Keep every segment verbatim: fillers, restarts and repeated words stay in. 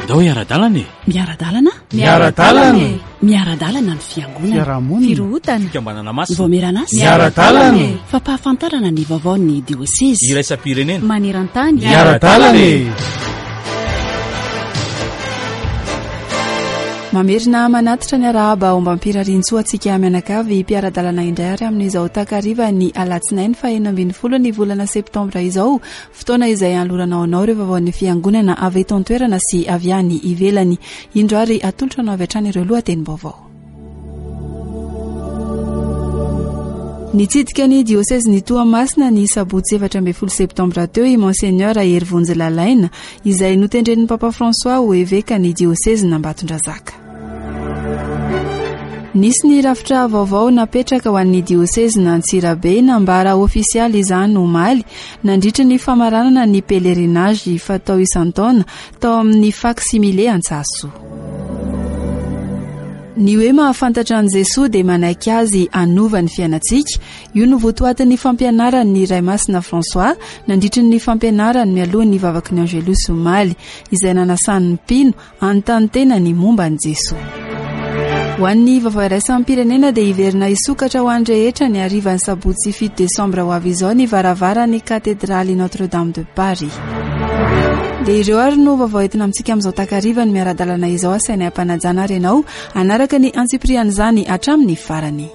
Andao hiara-dalana e! Miara-dalana? Miara-dalana e! Miara-dalana ny fiangonana. Fiarahamonina. Firohotana. Fikambanana masina. Vaomieran'asa. Miara-dalana e! Fampahafantarana ny vaovaon'ny diosezy. Iraisam-pirenena. Maneran-tany. Miara-dalana e! Mamerina manatitra ny arahaba ombam-pirariantsoa antsika mianakavy mpiara-dalana indray ary amin'izao takariva ny alatsinainy fahenina ambin'ny folo ny volana septambra izao, fotoana izay anoloranao anao ireo vaovaon'ny fiangonana avy eto an-toerana sy avy any ivelany. Indro ary atolotra anao avy hatrany ireo lohatenim-baovao. Nitsidika ny diosezin'i Toamasina ny sabotsy efatra ambin'ny folo septambra teo i Monseigneur Herivonjy Lalaina, izay notendren'ny Papa François ho eveka ny diosezin'Ambatondrazaka. Nisy ny rafitra vaovao napetraka ho an'ny diosezin'Antsirabe, nambara ofisialy izany omaly nandritra ny famaranana ny pèlerinage fatao isan-taona tao amin'ny Facsimile Antsahasoa. Ny hoe mahafantatra an'i Jesoa dia manaiky azy hanova ny fiainantsika. Io no votoatin'ny fampianaran'ny Ray Masina François nandritra ny fampianarany mialohan'ny vavaky ny Angelus omaly, izay nanasan'ny mpino hanontany tena ny momba an'i Jesoa. Ho an'ny vaovao iraisam-pirenena dia hiverina hisokatra ho an'ny rehetra ny harivan'ny sabotsy fito desambra ho avy izao ny varavaran'ny katedraly Notre-Dame de Paris. Dia ireo ary no vaovao entina amintsika amin'izao takariva ny miara-dalana izao, asainay ampanajana ary ianao hanaraka ny antsipirian'izany hatramin'ny farany.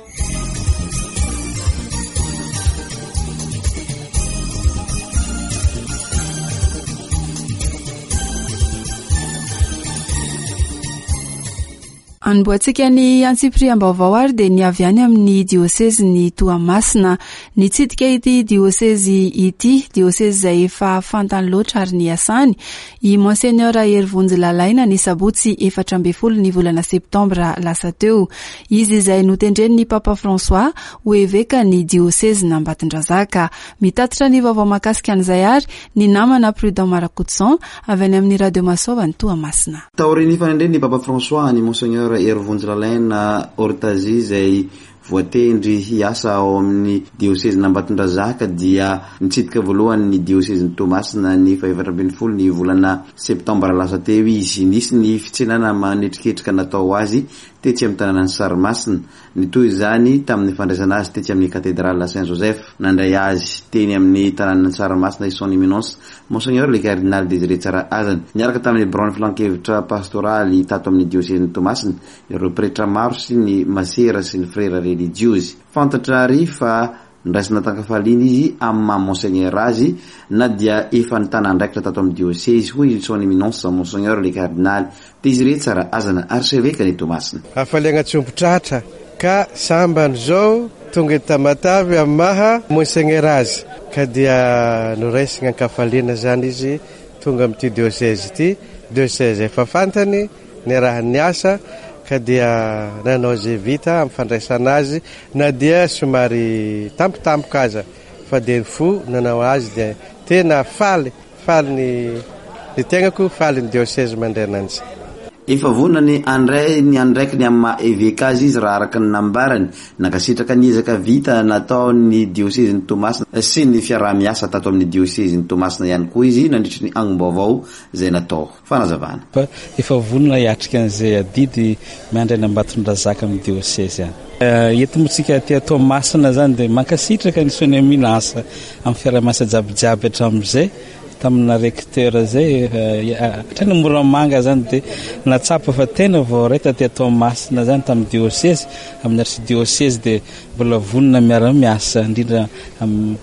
Anombohantsika ny antsipiriam-baovao ary dia ny avy any amin'ny diosezin'i Toamasina. Nitsidika ity diosezy ity, diosezy izay efa fantany loatra ary niasany, i Monseigneur Herivonjy Lalaina ny sabotsy efatra ambin'ny folo ny volana septambra lasa teo. Izy izay notendren'ny Papa François ho eveka ny diosezin'Ambatondrazaka. Mitatitra ny vaovao mahakasika an'izay ary ny namana Prudent Marakotoson avy any amin'ny Radio Masoava ny Toamasina. Taorian'ny fanendren'ny Papa François ny Monseigneur Herivonjy Lalaina Ortazy izay voatendry hiasa ao amin'ny diosezin'Ambatondrazaka dia nitsidika voalohany ny diosezin'i Toamasina ny fahaefatra ambin'ny folo ny volana septambra lasa teo izy. Nisy ny fitsenana manetriketrika natao azy tetsy amin'ny tanànan'i Sarimasina. Nitohy izany tamin'ny fandraisana azy tetsy amin'ny katedrala Saint-Joseph. Nandray azy teny amin'ny tanànan'i Sarimasina i Son Éminence Monseigneur le Cardinal Désiré Tsarahazana, niaraka tamin'ny biraon'ny filankevitra pastoraly tato amin'ny diosezin'i Toamasina, ireo pretra maro sy ny masera sy ny frera religiozy. Fantatra ary fa ndraisina tan-kafaliana izy amin'ny maha Monseigneur azy na dia efa nitana andraikitra tato amin'ny diosezy, hoy Son Éminence Monseigneur le Cardinal Désiré Tsarahazana, archevêque ny Toamasina. Hafaliana tsy omby tratra ka sambany zao tonga eto Tamatave amin'ny maha Monseigneur azy, ka dia noraisina an-kafaliana zany izy tonga amin'ity diocèse ity, diocèse efa fantany niarahany niasa, ka dia nanao izay vita amin'ny fandraisana azy na dia somary tampotampoka aza, fa dia ny fo nanao azy dia tena faly, faly ny, ny tenako, faly ny diocèse mandray ananjy. Efa vonona ny handray ny andraikiny amin'ny maha eveka azy izy raha araka ny nambarany. Nankasitraka ny ezaka vita nataon'ny diosezin'i Toamasina sy ny fiaraha-miasa tato amin'ny diosezin'i Toamasina ihany koa izy nandritry ny angom-baovao izay natao. Fanazavana. Fa efa vonona hiatrika an'izay adidy miandry any Ambatondrazaka amin'ny diosezy any. Eto moa tsika aty Toamasina zany dia mankasitraka ny Son Éminence amin'ny fiaraha-miasa jiabijiaby hatramin'izay tamina recteur zay, hatrany Moramanga zany dia natsapa fa tena voaray taty Toamasina zany tamin'ny diosezy, amin'ny archidiocèse dia mbola vonona miara-miasa, indrindra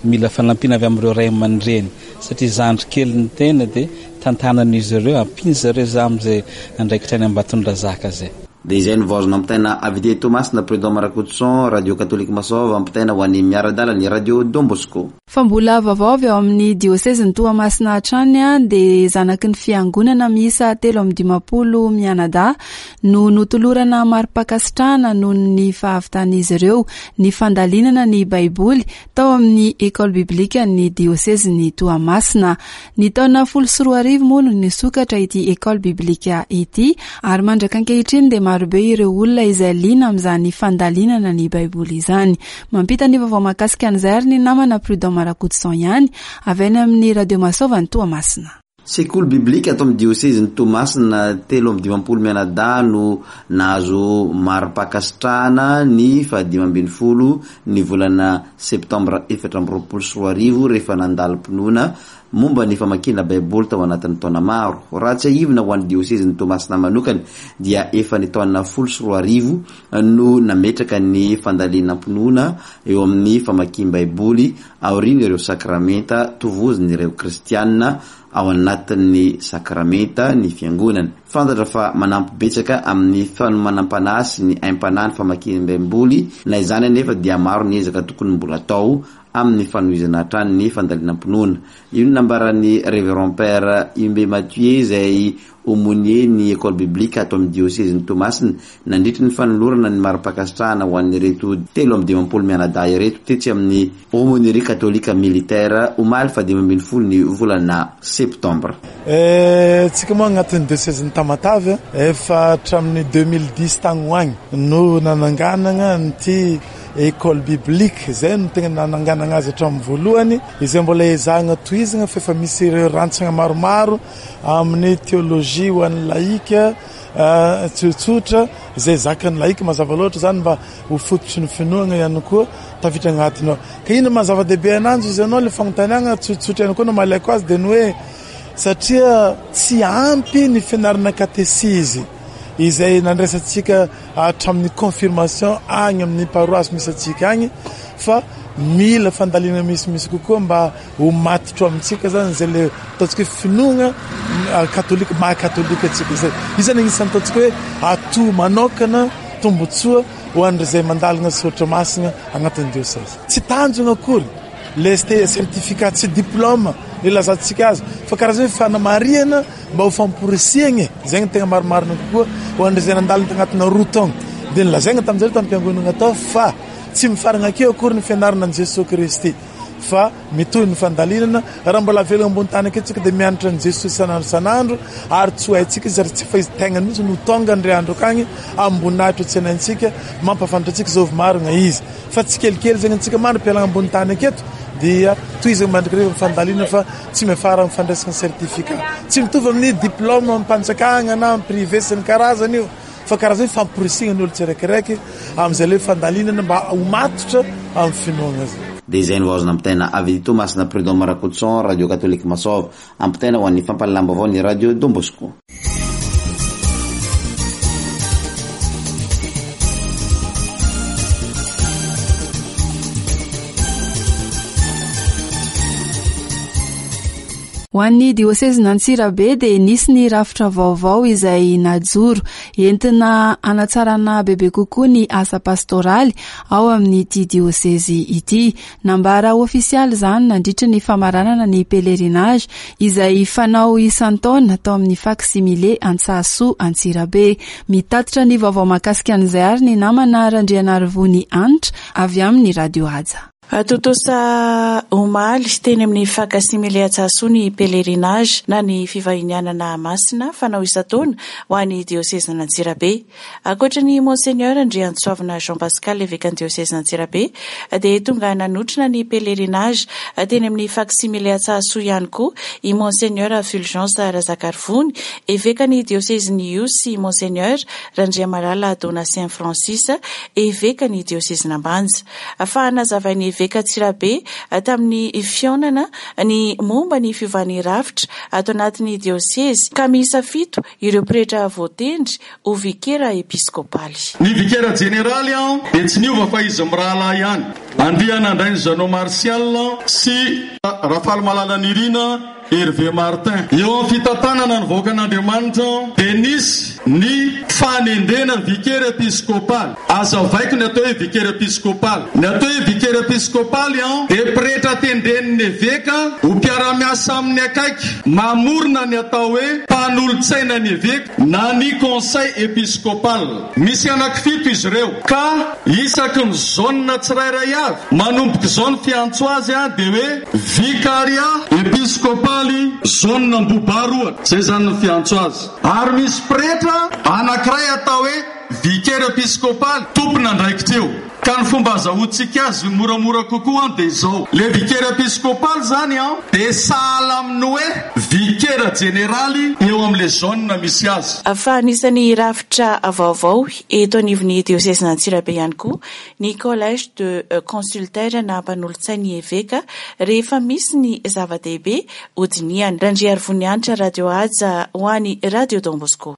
mila fanampiana avy amin'ireo ray aman-dreny satria zandry kely ny tena dia tantanan'izy ireo, ampiany zareo za amin'izay andraikitra any Ambatondrazaka zay. Dia izay no vaovao nampitaina avy dia Toamasina, Prudent Marakotoson, Radio Catholique Masoava, ampitaina ho an'ny miara-dalana ny Radio Don Bosco. Fa mbola vaovao avy ao amin'ny diosezin'i Toamasina hatrany dia zanaky ny fiangonana miisa telo amby dimampolo mianadahy no notolorana mari-pankasitrahana noho ny fahavitan'izy ireo ny fandalinana ny Baiboly tao amin'ny école biblique ny diosezin'i Toamasina. Ny taona folo sy roa arivo moa no nisokatra ity école biblique ity ary mandraka ankehitriny dia marobe ireo olona izay liana amin'izany fandalinana ny Baiboly izany. Mampita ny vaovao mahakasika an'izay ary ny namana Prudent Marakotoson ihany avy any amin'ny Radio Masoava ny Toamasina. Sekoly biblika ato amin'ny diosezin'i Toamasina, telo amby dimampolo mianadahy no nahazo mari-pankasitrahana ny fahadimy ambin'ny folo ny volana septambra efatra amby roapolo sy roa arivo rehefa nandalim-pinoana momba ny famakiana Baiboly tao anatin'ny taona maro. Raha tsiahivina ho an'ny diosezin'i Toamasina manokana dia efa ny taona folo sy roa arivo no nametraka ny fandalinam-pinoana eo amin'ny famakiam-Baiboly aorian'ireo sakramenta tovozin'ireo kristianina ao anatin'ny sakramenta ny fiangonana. Fantatra fa manampy betsaka amin'ny fanomanam-panahy sy ny aim-panahy ny famakiam-Baiboly, na izany anefa dia maro ny ezaka tokony mbola atao amin'ny fanohizana hatrany ny fandalinam-pinoana. Io no nambaran'ny Révérend Père Humbe Mathieu izay aumônier ny école biblique ato amin'ny diosezin'i Toamasina nandritry ny fanolorana ny mari-pankasitrahana ho an'ireto telo amby dimampolo mianadahy ireto tetsy amin'ny aumônerie catholique militaire omaly fahadimy ambin'ny folo ny volana septambra. Tsika moa agnatin'ny diosezin'i Tamatave efa hatramin'ny deux mille dix tagny ho agny no nananganana an'ity école biblique zay no tegna nananganana azy hatramin'ny voalohany, izay mbola ezahana tohizana fa efa misy ireo rantsana maromaro amin'ny théologie ho an'ny laïka tsotsotra izay zakan'ny laïka mazava loatra zany mba ho fototry ny finoana ihany koa tafiditra agnatiny ao. Ka ino maha zava-dehibe ananjy izy anao le fanontaniana tsotsotra ihany koa no mahalaiko azy dia ny hoe satria tsy ampy ny fianarana katesizy izay nandraisantsika hatramin'ny confirmation agny amin'ny paroasy misy antsika agny, fa mila fandalina misimisy kokoa mba ho matotro amintsika zany zay le ataontsika hoe finoana katolika maha katolika antsika zay. Io zany anisan'ny ataontsika hoe ato manokana tombotsoa ho an'izay mandalina soratra masina agnatin'ny diocèse. Tsy tanjona akory le certificat, tsy diplôme le lazantsika azy, fa karazana hoe fanamarihana mba ho famporisihana zay no tegna marimarina kokoa ho an'izay nandalina tagnatina roa taona. Dia nolazaina tamin'izay tamin'ny-piangonana tao fa tsy mifarana akeo akory ny fianarana an'i Jesoa Kristy, fa mitohy ny fandalinana. Raha mbola velona ambony tany akeo tsika dia mianatra an'i Jesoa isan'andro isan'andro, ary tsy ho haintsika izy ary tsy fa izy tegna mihitsy no tonga ndray andro akagny amboninahitra tsy haintsika mampahafantatra antsika zao marina izy, fa tsy kelikely zegny antsika mandra-pialana ambony tany aketo dia tohizana mandrakariva ny fandalinana fa tsy miafara amin'ny fandraisana certificat. Tsy mitovy amin'ny diplôme am-panjakana na amin'ny privé sy ny karazany io, fa karazany hoe famporisihana ny olo tsiraikiraiky amin'izay le fandalinana mba ho matotra amin'ny finoana azy. Dia izay no azona ampitaina avy Toamasina, Prud'homme Rakotoson, Radio Catholique Masova, ampitaina ho an'ny fampahalalam-baovao ny Radio Don Bosco. Ho an'ny diosezin'Antsirabe dia nisy ny rafitra vaovao izay najoro entina hanatsarana bebe kokoa ny asa pastoraly ao amin'ity diosezy ity. Nambara ofisialy izany nandritra ny famaranana ny pèlerinage izay fanao isan-taona tao amin'ny Facsimile Antsahasoa Antsirabe. Mitatitra ny vaovao mahakasika an'izay ary ny namana Randrianarivony Hanitra avy amin'ny Radio Haja. Tontosa omaly teny amin'ny Facsimile Antsahasoa ny pèlerinage na ny fivahinianana masina fanao isan-taona ho an'ny diosezin'Antsirabe. Ankoatra ny Monseigneur Andriantsoavina Jean Pascal evekan'ny diosezin'Antsirabe dia tonga nanotrona ny pèlerinage teny amin'ny Facsimile Antsahasoa ihany koa i Monseigneur Fulgence Razakarivony evekan'ny diosezin'i Ihosy sy Monseigneur Randriamalala Donatien Francis evekan'ny diosezin'Ambanja. Fa nazavain'ny eveka Antsirabe tamin'ny fihaonana ny momba ny fiovan'ny rafitra ato anatin'ny diosezy ka miisa fito ireo pretra voatendry ho vikera episkopaly. Ny vikera jeneraly dia tsy niova fa izy mirahalahy ihany. Andrianandrainy Jeannot Martial sy Rafalimalala Nirina Hervé Martin. Eo amin'ny fitantanana ny vahoakan'Andriamanitra dia nisy ny fanendrena ny vikera episkopaly. Azavaiko ny atao hoe vikera episkopaly. Ny atao hoe vikera episkopaly dia pretra tendren'ny eveka ho mpiara-miasa amin'ny akaiky, mamorona ny atao hoe mpanolotsaina ny eveka na ny conseil episcopal. Misy anankifito izy ireo ka isaky ny zone tsirairay avy manomboka izao ny fiantso azy dia hoe vicaria episkopaly zone Ambohibaroa. Izay zany ny fiantso azy. Ary misy pretra anankiray atao hoe vicaire episkopaly tompon'andraikitra eo. Ka ny fomba azahoantsika azy moramora kokoa dia izao. Le vicaire episkopaly zany an dia sahala amin'ny hoe vicaire jeneraly eo amin'le zone misy azy. Fa anisan'ny rafitra vaovao eto anivon'ny diosezin'Antsirabe ihany koa ny collège de consultaire na mpanolotsain'ny eveka rehefa misy ny zava-dehibe hodinihana. Randriarivonianitra, Radio Haja ho an'ny Radio Don Bosco.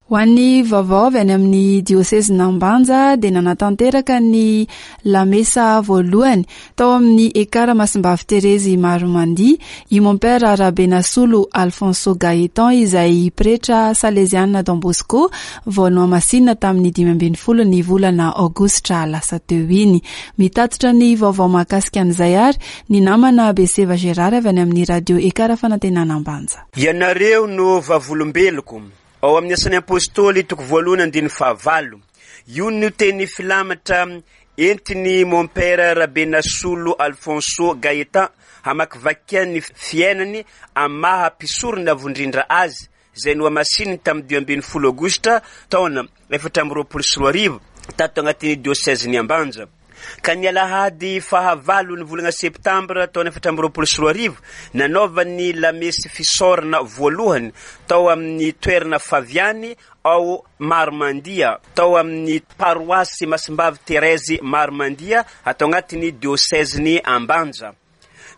Ho an'ny vaovao avy any amin'ny diosezin'Ambanja dia nanatanteraka ny lamesa voalohany tao amin'ny Ekara Masimbavy Terezy Maromandia i Mompera Rabenasolo Alfonso Gaëtan izay pretra saleziana Don Bosco vao nohamasinina tamin'ny dimy ambin'ny folo ny volana aogositra lasa teo iny. Mitatitra ny vaovao mahakasika an'izay ary ny namana Beseva Gérard avy any amin'ny radio Ekara Fanantenana Ambanja. Ianareo no vavolombeloko. Ao amin'ny asan'ny apôstôly toko voalohany andininy fahavalo. Io no teny filamatra entiny Mompera Rabenasolo Alfonso Gaëtan hamakivakiany fiainany amin'ny maha mpisorona avo indrindra azy izay nohamasininy tamin'ny dimy ambin'ny folo aogositra taona efatra amby roapolo sy roa arivo tato agnatin'ny diosezin'i Ambanja. Ka ny alahady fahavalo ny volana septambra taona efatra amby roapolo sy roa arivo nanaovany lamesy fisaorana voalohany tao amin'ny toerana Faviany ao Maromandia, tao amin'ny paroasy Masimbavy Terezy Maromandia atao agnatin'ny diosezin'i Ambanja.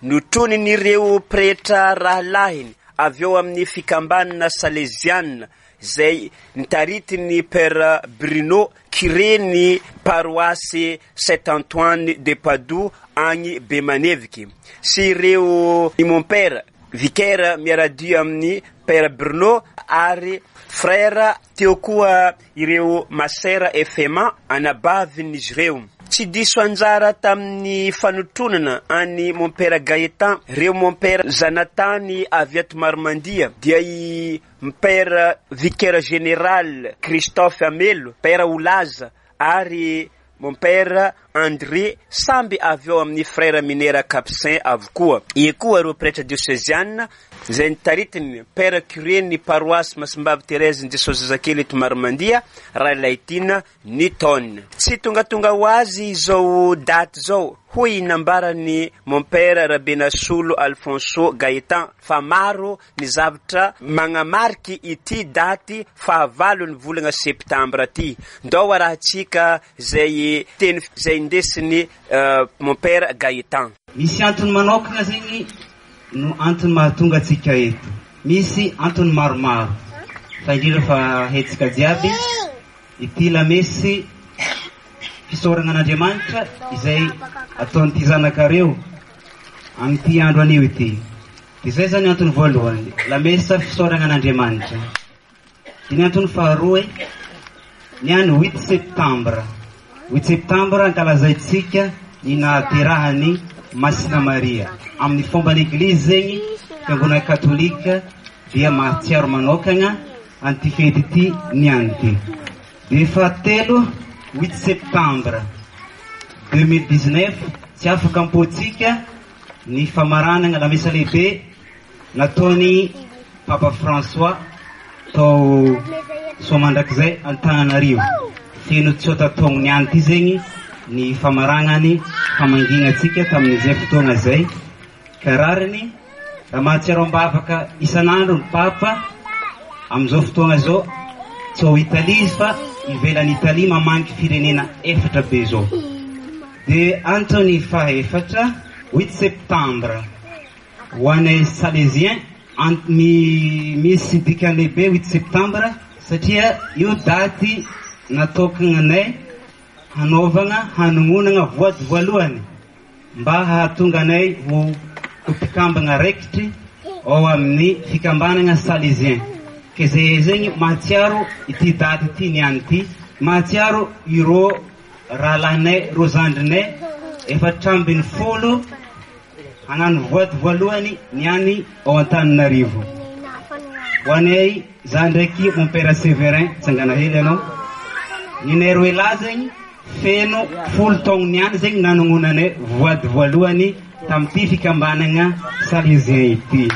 Notronin'ireo pretra rahalahiny avy eo amin'ny fikambanana saleziana izay nitaritin'ny Père Bruno kireny paroasy Saint Antoine de Padoue agny Bemaneviky sy ireo mompera vicaire miaradia amin'ny Père Bruno ary frère teo koa ireo masera F M A anabavin'izy ireo. Tsy diso anjara tamin'ny fanotronana any Mompera Gaëtan ireo mompera zanatany avy ato Maromandia dia i Mompera vicaire général Christophe Amelo, Père Olaza ary Mompera André samby avy eo amin'ny frère minera Capucin avokoa. Ie koa ireo pretra dioseziana izay nitaritiny Père curé ny paroasy Masimbavy Thérèse ny Jesosy Zazakely eto Maromandia Railaitina Newton. Tsy tongatonga ho azy izao daty izao, hoy nambarany Mompera Rabenasolo Alfonso Gaëtan fa maro ny zavatra magnamariky ity daty fahavalo ny volana septambra ty. Ndao arahantsika izay teny izay indesiny Mompera Gaëtan. Misy antony manokana zegny no antony mahatonga antsika eto. Misy antony maromaro fa indrindra fa hetsika jiaby ity lamesy fisaorana an'Andriamanitra izay ataon'ity zanakareo amin'ity andro anio ity. Izay zany antony voalohany, lamesa fisaorana an'Andriamanitra. Dia ny antony faharoa, ny any huit septembre. Huit septembre ankalazaintsika ny nahaterahany Masina Maria. Amin'ny fomban'ny Eglizy zegny, fiangonana katolika dia mahatsiaro manokana an'ity fety ity ny any ity. Dia fahatelo, huit septembre deux mille dix-neuf, tsy afaka ampotsika ny famaranana lamesa lehibe nataony Papa François tao Soamandrakizay Antananarivo. Feno tsota taogno ny any ity zegny ny famaranany famangiana antsika tamin'izay fotoana izay. Ka rariny raha mahatsiaro am-bavaka isan'andro ny Papa amin'izao fotoana izao, tsy ao Italia izy fa ivelan'i Italia mamangy firenena efatra be izao. Dia antony fahaefatra, huit septembre ho anay Salésien, ant-, misy dikany lehibe huit septembre satria io daty natokananay hanaovana hanononana voady voalohany mba hahatonga anay ho mpikambana raikitry ao amin'ny fikambanana Salésien. Ke zay zegny mahatsiaro ity daty ity ny any ity, mahatsiaro ireo rahalahinay, ireo zandrinay efatra ambin'ny folo hagnano voady voalohany ny any ao Antananarivo. Ho anay za ndraiky Mompera Séverin tsangana hely ianao. Ny nay roe lahy zegny Feno folo taogno niany zegny nanognonanay voady voalohany tamin'ity fikambanana Salésien ity.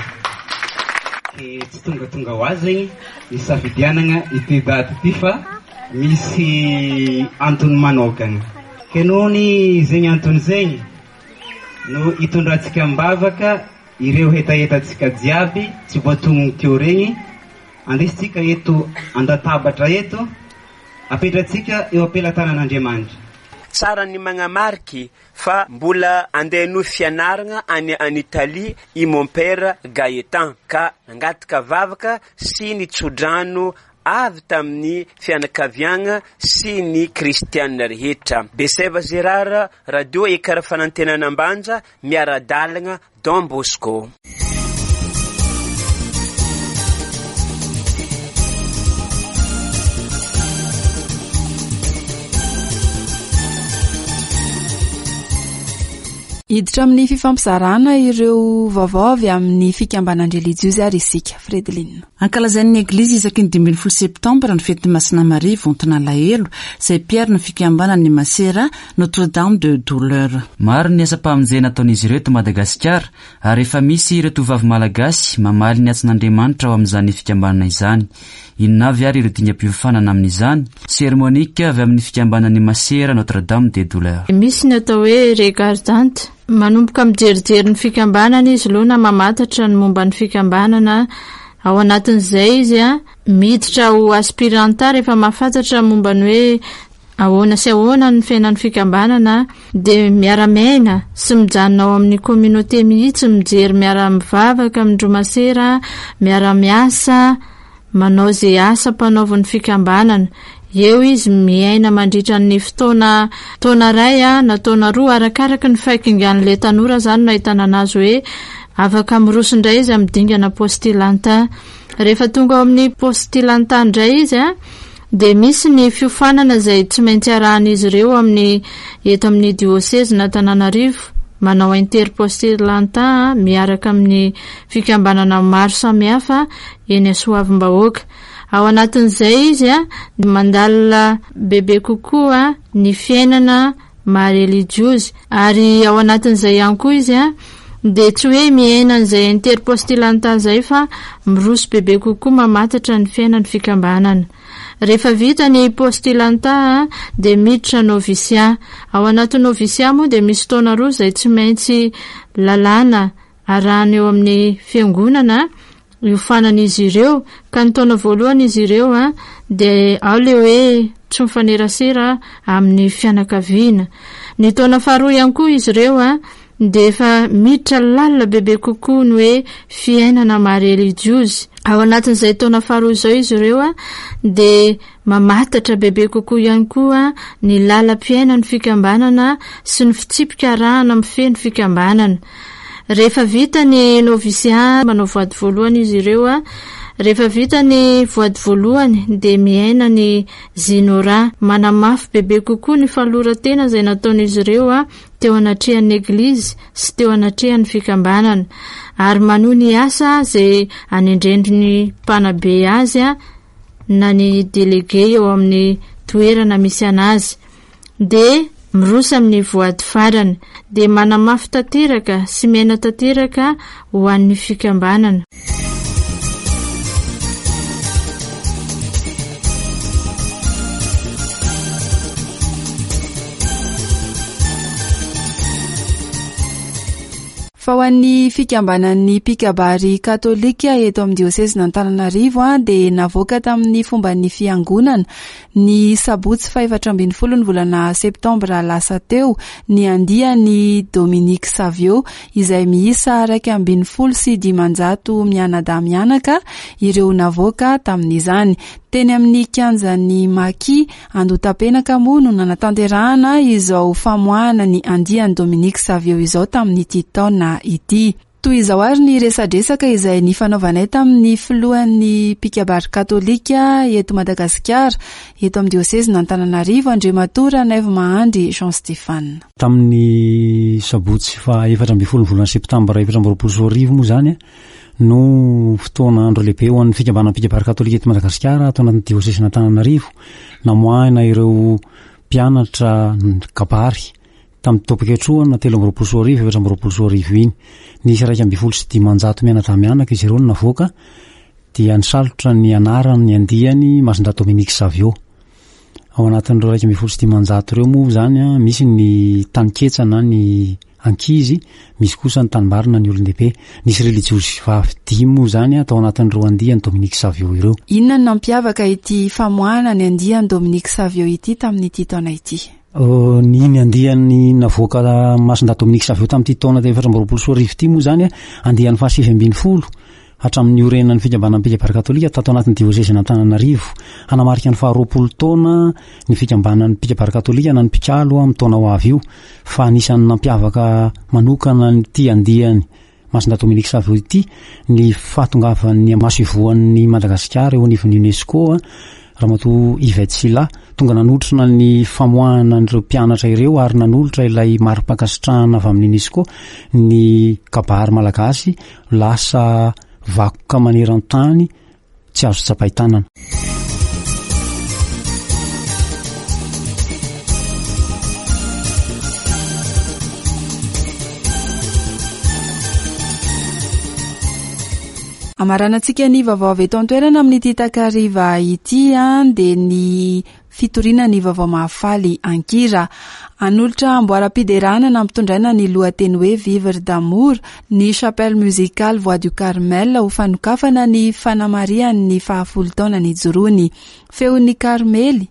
Ke tsy tongatonga ho azy zegny ny safidianana ity daty ity fa misy antony manokana. Ke noho ny zegny antony zegny no hitondrantsika am-bavaka ireo hetahetantsika jiaby tsy voatonony teo regny, andesitsika eto an-databatra eto, apetratsika eo am-pelatanan'Andriamanitra. Tsara ny magnamariky fa mbola andeha no fianarana any any Italie i mon père Gaëtan ka nangataka vavaka sy ny tsodrano avy tamin'ny fianakaviagna sy ny kristianina rehetra. Beseva Gérard, Radio Ekara Fanantenana Ambanja, miara-dalagna Don Bosco. Hiditra amin'ny fifampizarana ireo vaovao avy amin'ny fikambanan-drelijiozy ary isika, Fredeline. Ankalazain'ny Eglizy isaky ny dimy ambin'ny folo septambra ny fetin'ny Masina Maria vonton'alahelo, izay mpiaro ny fikambanan'ny Masera Notre-Dame de Douleur. Maro ny asam-pamonjena ataon'izy ireo eto Madagasikara ary efa misy ireo tovovavy malagasy mamaly ny antson'Andriamanitra ao amin'izany fikambanana izany. Inona avy ary ireo dingam-piofanana amin'izany? Sœur Monique avy amin'ny fikambanan'ny Masera Notre-Dame de Douleur. Misy ny atao hoe regardante. Manomboka mijerijery ny fikambanana izy aloha na mamantatra ny momba ny fikambanana. Ao anatin'izay izy a miditra ho aspiranta rehefa mahafantatra momba ny hoe ahoana sy ahoana ny fiainan'ny fikambanana, dia miara-miaina sy mijanona ao amin'ny communauté mihitsy, mijery, miara-mivavaka amin-dry masera, miara-miasa, manao izay asa mpanaovan'ny fikambanana. Eo izy miaina mandritra ny fotoana taona iray a na taona roa, arakaraka ny fahakingan'ilay tanora zany no ahitana anazy hoe afaka miroso indray izy amin'ny dingana postilanta. Rehefa tonga ao amin'ny postilanta indray izy a dia misy ny fiofanana izay tsy maintsy arahan'izy ireo amin'ny eto amin'ny diocèse n'Antananarivo, manao interpostilanta miaraka amin'ny fikambanana maro samihafa eny Soavimbahoaka. Ao anatin'izay izy a mandalina bebe kokoa ny fiainana maha-relijiozy, ary ao anatin'izay ihany koa izy a dia tsy hoe miaina an'izay interpostilanta izay fa miroso bebe kokoa mamantatra ny fiainan'ny fikambanana. Rehefa vita ny postilanta dia miditra novisia. Ao anatin'ny novisia moa dia misy taona roa izay tsy maintsy lalàna arahana eo amin'ny fiangonana iofanan'izy ireo, ka ny taona voalohany izy ireo a dia ao le hoe tsy mifanerasera amin'ny fianakaviana. Ny taona faharoa ihany koa izy ireo a dia efa miditra lalina bebe kokoa ny hoe fiainana maha-relijiozy. Ao anatin'izay taona faharoa izao izy ireo a dia mamantatra bebe kokoa ihany koa ny lalam-piainan'ny fikambanana sy ny fitsipika arahana mifehy ny fikambanana. Rehefa vita ny novisia, manao voady voalohany izy ireo a rehefa vita ny voady voalohany dia miaina ny zinora, manamafy bebe kokoa ny fanoloran-tena izay nataon'izy ireo a teo anatrehan'ny eglizy sy teo anatrehan'ny fikambanana, ary manohy ny asa izay anendrendriny mpanabe azy a na ny délégué eo amin'ny toerana misy anazy. Dia miroso amin'ny voady farany, dia manamafy tanteraka sy miaina tanteraka ho an'ny fikambanana. Fa ho an'ny fikambanan'ny mpikabary katolika eto amin'ny diosezin'Antananarivo a dia navoaka tamin'ny fomban'ny fiangonana ny sabotsy fahaefatra ambin'ny folo ny volana septambra lasa teo ny andiany Dominique Savio izay miisa iraika ambin'ny folo sy dimanjato mianadahy mianaka ireo navoaka tamin'izany. Teny amin'ny kianjan'ny Maki Andohatapenaka moa no nanatanterahana izao famoahana ny andiany Dominique Savio izao tamin'ity taona ity. Toy izao ary ny resadresaka izay nifanaovanay tamin'ny filohan'ny mpikabary katolika eto Madagasikara, eto amin'ny diosezin'Antananarivo, Andriamatoa Ranaivo Mahandry Jean Stéphane. Tamin'ny sabotsy fahaefatra ambin'ny folo ny volana septambra efatra amby roapolo sy roa arivo moa zany no fotoana andro lehibe ho an'ny fikambanan'ny mpikabary katolika eto Madagasikara ato anatin'ny diosezin'Antananarivo, namoahana ireo mpianatra kabary tamin'ny taom-pikatrohana telo amby roapolo sy roa arivo efatra amby roapolo sy roa arivo iny. Nisy iraika ambin'ny folo sy dimanjato mianadahy mianaka izy ireo no navoaka, dia nisalotra ny anarany andiany Masindahy Dominique Savio. Ao anatin'ireo iraika ambin'ny folo sy dimanjato ireo moa zany a, misy ny taniketsa na ny ankizy, misy kosa ny tanimbarina ny olon-dehibe. Nisy relijiosy vavy dimy moa zany a, tao anatin'ireo andiany Dominique Savio ireo. Inona no nampiavaka ity famoahana ny andiany Dominique Savio ity tamin'ity taona ity? Ny ny andiany navoaka Masindahy Dominique Savio tamin'ity taona efatra amby roapolo sy roa arivo ity moa zany a, andiany fahasivy ambin'ny folo hatramin'ny orenan'ny fikambanan'ny mpikabary katolika tato anatin'ny diosezin'Antananarivo. Hanamarika ny faharoapolo taona ny fikambanan'ny mpikabary katolika na ny mpikalo amin'ny taona ho avy io, fa anisan'ny nampiavaka manokana ity andiany Masindahy Dominique Savio ity ny fahatongavan'ny masoivohon'ny Madagasikara eo anivon'ny UNESCO, Ramatoa Yvette Sylla, tonga nanotrona ny famoahana an'ireo mpianatra ireo ary nanolotra ilay mari-pankasitrahana avy amin'ny UNESCO ny kabary malagasy lasa vakoka maneran-tany tsy azo tsapain-tanana. Amaranantsika ny vaovao avy eto an-toerana amin'ity takariva ity a, dia ny fitoriana ny vaovao mahafaly ankira. Hanolotra amboaram-piderana nampitondraina ny lohateny hoe Vivre d'amour ny Chapelle musicale Voix du Carmel ho fanokafana ny fanamarihan'ny fahafolo taona nijoroany. Feon'ny Karmely,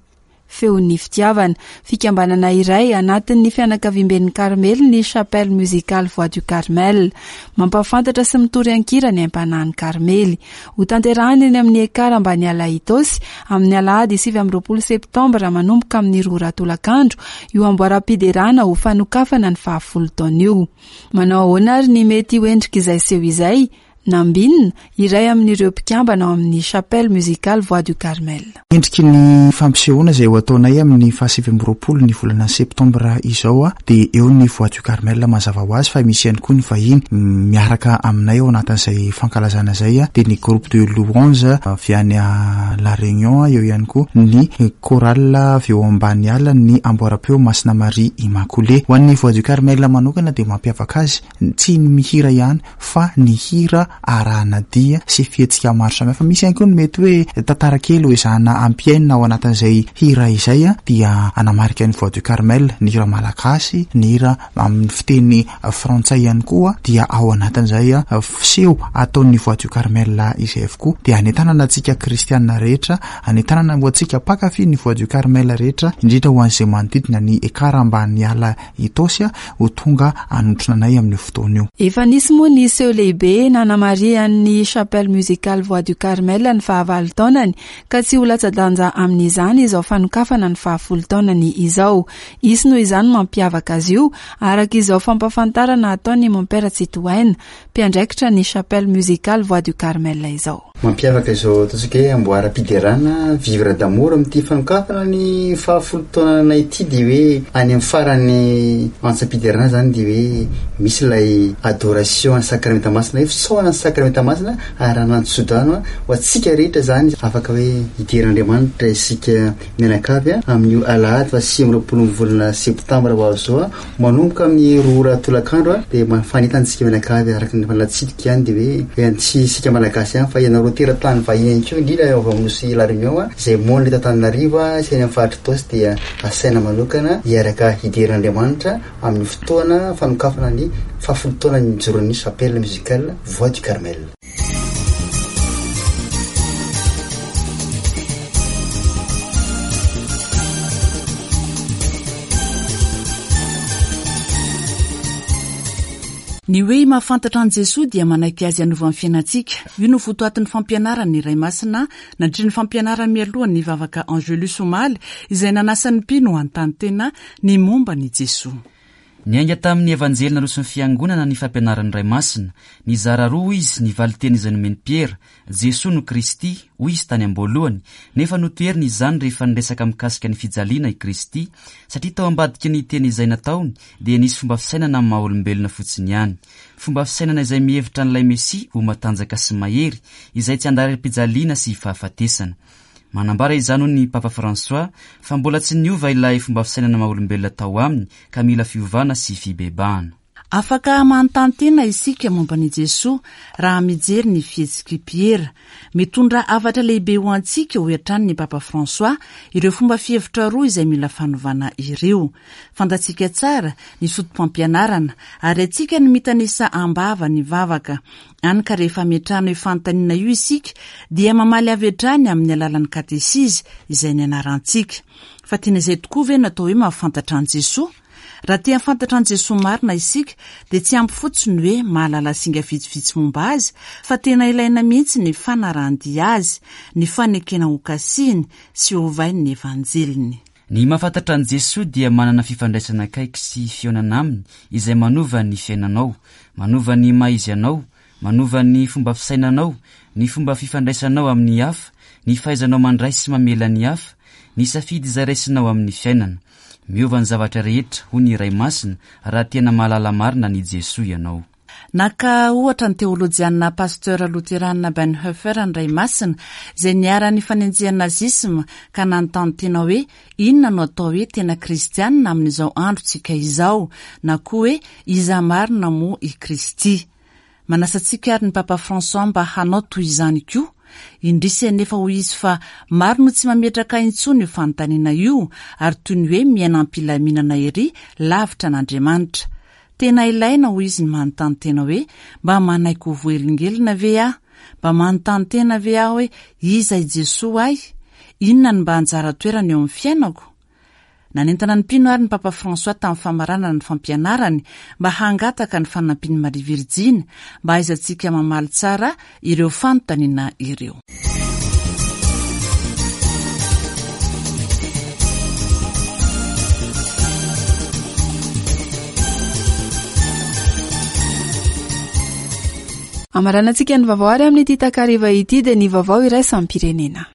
feon'ny fitiavana. Fikambanana iray anatin'ny fianakaviamben'ny Karmely ny Chapelle musicale Voix du Carmel. Mampahafantatra sy mitory ankira ny aim-panahin'ny Karmely. Ho tanterahina eny amin'ny Ekar Ambaniala Itaosy amin'ny alahady sivy amby roapolo septambra manomboka amin'ny roa ora tolakandro io amboaram-piderana ho fanokafana ny fahafolo taona io. Manao ahoana ary ny mety ho endrik'izay seho izay? Nambinina, iray amin'ireo mpikambana ao amin'ny Chapelle musicale Voix du Carmel. Endriky ny fampisehoana izay ho ataonay amin'ny fahasivy amby roapolo ny volana septambra izao a, dia eo ny Voix du Carmel mazava ho azy, fa misy ihany koa ny vahiny miaraka aminay ao anatin'izay fankalazana izay a, dia ny groupe de louange avy any La Réunion, eo ihany koa ny chorale avy eo ambany ala ny amboaram-peo Masina Maria Immaculée. Ho an'ny Voix du Carmel manokana dia mampiavaka azy tsy ny mihira ihany fa ny hira arahana dia sy fihetsika maro samihafa. Misy ihany koa ny mety hoe tantara kely ho ezahana ampiainina ao anatin'izay hira izay a, dia anamarika ny Voix du Carmel, ny hira malagasy, ny hira amin'ny fiteny frantsay ihany koa dia ao anatin'izay a, fiseho ataon'ny Voix du Carmel izay avokoa. Dia anentanana antsika kristianina rehetra, anentanana ho antsika mpankafy ny Voix du Carmel rehetra, indrindra ho an'izay manodidina ny Ekar Ambaniala Itaosy a, ho tonga hanotrona anay amin'io fotoana io. Efa nisy moa ny seho lehibe nanamarihan'ny Chapelle musicale Voix du Carmel ny fahavalo taonany, ka tsy ho latsa-danja amin'izany izao fanokafana ny fahafolo taonany izao. Hisy noho izany mampiavaka azy io, araka izao fampahafantarana ataon'ny Mompera Tsitohaina, mpiandraikitra ny Chapelle musicale Voix du Carmel izao. Mampiavaka izao ataontsika hoe amboaram-piderana Vivre d'amour amin'ity fanokafana ny fahafolo taonana ity, dia hoe any amin'ny farany antsam-piderana zany dia hoe misy ilay adoration ny sakramenta masina, hoe fisaorana ny sakramenta masina ary anantsodrano ho antsika rehetra zany, afaka hoe hideran'Andriamanitra isika mianakavy amin'io alahady fahasivy amby roapolo ny volana septambra ho avy izao, manomboka amin'ny roa ora tolakandro, dia mafanentana antsika mianakavy araka ny efa natsidika ihany, dia hoe tsy isika malagasy ihany fa ianareo teratany vahiny ihany koa, indrindra avy amin'ny nosy La Réunion izay monina eto Antananarivo sy any amin'ny faritra Itaosy, dia asaina manokana hiaraka hideran'Andriamanitra amin'ny fotoana fanokafana ny fahafolo taona nijoroan'ny Chapelle musicale Voix du Carmel. Ny hoe mahafantatra an'i Jesoa dia manaiky azy hanova ny fiainantsika. Io no votoatin'ny fampianaran'ny Ray Masina nandritry ny fampianarany mialohan'ny vavaka Angelus omaly, izay nanasan'ny mpino hanontany tena ny momba an'i Jesoa. Niainga tamin'ny Evanjely naroson'ny Fiangonana ny fampianaran'ny Ray Masina. Nizara roa izy ny valinteny izay nomen'i Piera. Jesoa no Kristy, hoy izy tany am-boalohany, nefa notoheriny izany rehefa niresaka mikasika ny fijaliana i Kristy, satria tao ambadiky ny teny izay nataony dia nisy fomba fisainana amin'ny maha olombelona fotsiny ihany. Fomba fisainana izay mihevitra an'ilay Mesia ho matanjaka sy mahery, izay tsy andalam-pijaliana sy fahafatesana. Manambara izany hoy ny Papa François fa mbola tsy niova ilay fomba fisainana maha olombelona tao aminy ka mila fiovana sy fibebahana. Afaka manontany tena isika momba an'i Jesoa raha mijery ny fihetsik'i Piera. Mitondra hafatra lehibe ho antsika, hoy hatrany ny Papa François, ireo fomba fihevitra roa izay mila fanovana ireo. Fantatsika tsara ny foto-pampianarana, ary haintsika ny mitanisa am-bava ny vavaka. Hany ka rehefa ametrahana io fanontaniana io isika, dia mamaly avy hatrany amin'ny alalan'ny katesizy izay nianarantsika. Fa tena izay tokoa ve no atao hoe mahafantatra an'i Jesoa? Raha te hahafantatra an'i Jesoa marina isika, dia tsy ampy fotsiny ny hoe mahalala singa vitsivitsy momba azy, fa tena ilaina mihitsy ny fanarahan-dia azy, ny fanekena hokasihiny sy hovainy ny Evanjeliny. Ny mahafantatra an'i Jesoa dia manana fifandraisana akaiky sy fihaonana aminy izay manova ny fiainanao, manova ny maha izy anao, manova ny fomba fisainanao, ny fomba fifandraisanao amin'ny hafa, ny fahaizanao mandray sy mamela ny hafa, ny safidy izay raisinao amin'ny fiainana. Miova ny zavatra rehetra, hoy ny Ray Masina, raha tena mahalala marina an'i Jesoa ianao. Naka ohatra ny teolojianina Pasteur Loterana Bonhoeffer ny Ray Masina, izay niharan'ny fanenjehan'ny nazisma ka nanontany tena hoe inona no atao hoe tena kristianina amin'izao androntsika izao, na koa hoe iza marina moa i Kristy. Manasa antsika ary ny Papa François mba hanao toy izany koa. Indrisy anefa hoy izy fa maro no tsy mametraka intsony io fanontaniana io ary toy ny hoe miaina am-pilaminana ery lavitra an'Andriamanitra. Tena ilaina hoy izy ny manontany tena hoe mba manaiky ho voahelingelina ve aho? Mba manontany tena ve aho hoe iza i Jesoa ahy? Inona no mba anjara toerana eo amin'ny fiainako? Nanentana ny mpino ary ny Papa François tamin'ny famaranana ny fampianarany mba hangataka ny fanampian'i Maria Virjiny mba hahaizantsika mamaly tsara ireo fanontaniana ireo. Amaranantsika ny vaovao ary amin'ity takariva ity dia ny vaovao iraisam-pirenena.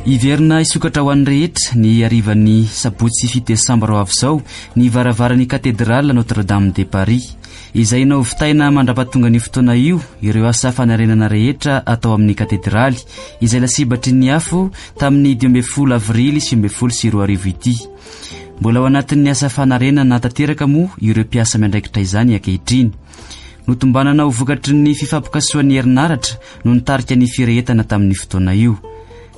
Hiverina hisokatra ho an'ny rehetra ny harivan'ny sabotsy fito desambra ho avy izao ny varavaran'ny katedraly Notre-Dame de Paris. Izay nahovitaina mandra-pahatonga ny fotoana io ireo asa fanarenana rehetra atao amin'ny katedraly izay lasibatry ny afo tamin'ny dimy ambin'ny folo avrily sivy ambin'ny folo sy roa arivo ity. Mbola ao anatin'ny asa fanarenana tanteraka moa ireo mpiasa miandraikitra izany ankehitriny. Notombanana ho vokatry ny fifampikasohan'ny herinaratra no nitarika ny firehetana tamin'ny fotoana io.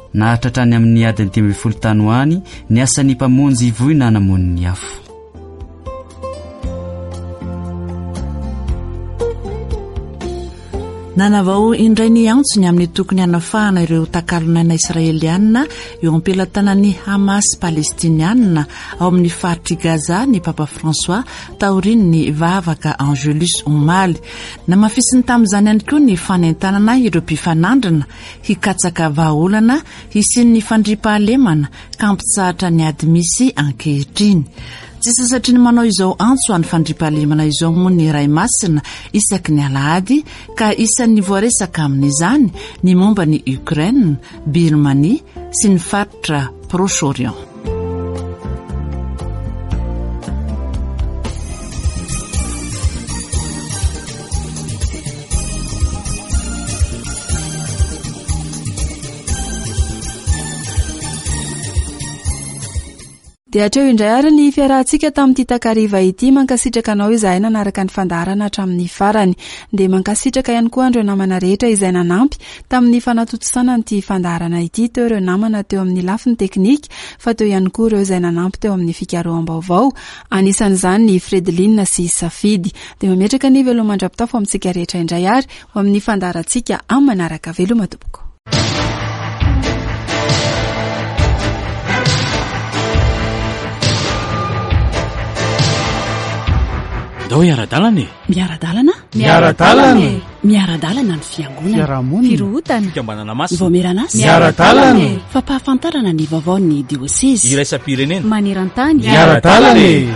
Naharitra hatrany amin'ny adiny dimy ambin'ny folo tany ho any ny asan'ny mpamonjy voina namono ny afo. Nanavao indray ny antsony amin'ny tokony hanafahana ireo takalon'aina israelianina eo am-pelatanan'ny Hamas palestinianina ao amin'ny faritr'i Gaza ny Papa François taorian'ny vavaka Angelus omaly. Namafisiny tamin'izany ihany koa ny fanentanana ireo mpifanandrina hikatsaka vahaolana hisian'ny fandriampahalemana ka hampitsahatra ny ady misy ankehitriny. Tsy sasatry ny manao izao antso an'ny fandriampahalemana izao moa ny Ray Masina isaky ny alahady ka isan'ny voaresaka amin'izany ny momba ny Ukraine, Birmanie sy ny faritra Proche-Orient. Dia hatreo indray ary ny fiarahantsika tamin'ity takariva ity. Mankasitraka anao izahay nanaraka ny fandaharana hatramin'ny farany. Dia mankasitraka ihany koa andreo namana rehetra izay nanampy tamin'ny fanatontosana an'ity fandaharana ity. Teo ireo namana teo amin'ny lafiny teknika, fa teo ihany koa ireo izay nanampy teo amin'ny fikaroham-baovao, anisan'izany ny Fredeline sy Safidy. Dia mametraka ny veloma mandra-pitafo amintsika rehetra indray ary ho amin'ny fandaharantsika amin'ny manaraka. Veloma tompoko. Ndao hiara-dalana e. Miara-dalana? Miara-dalana e. Miara-dalana ny fiangonana. Fiarahamonina. Firohotana. Fikambanana masina. Vaomieran'asa. Miara-dalana e. Fampahafantarana ny vaovaon'ny diosezy. Iraisam-pirenena. Maneran-tany. Miara-dalana e.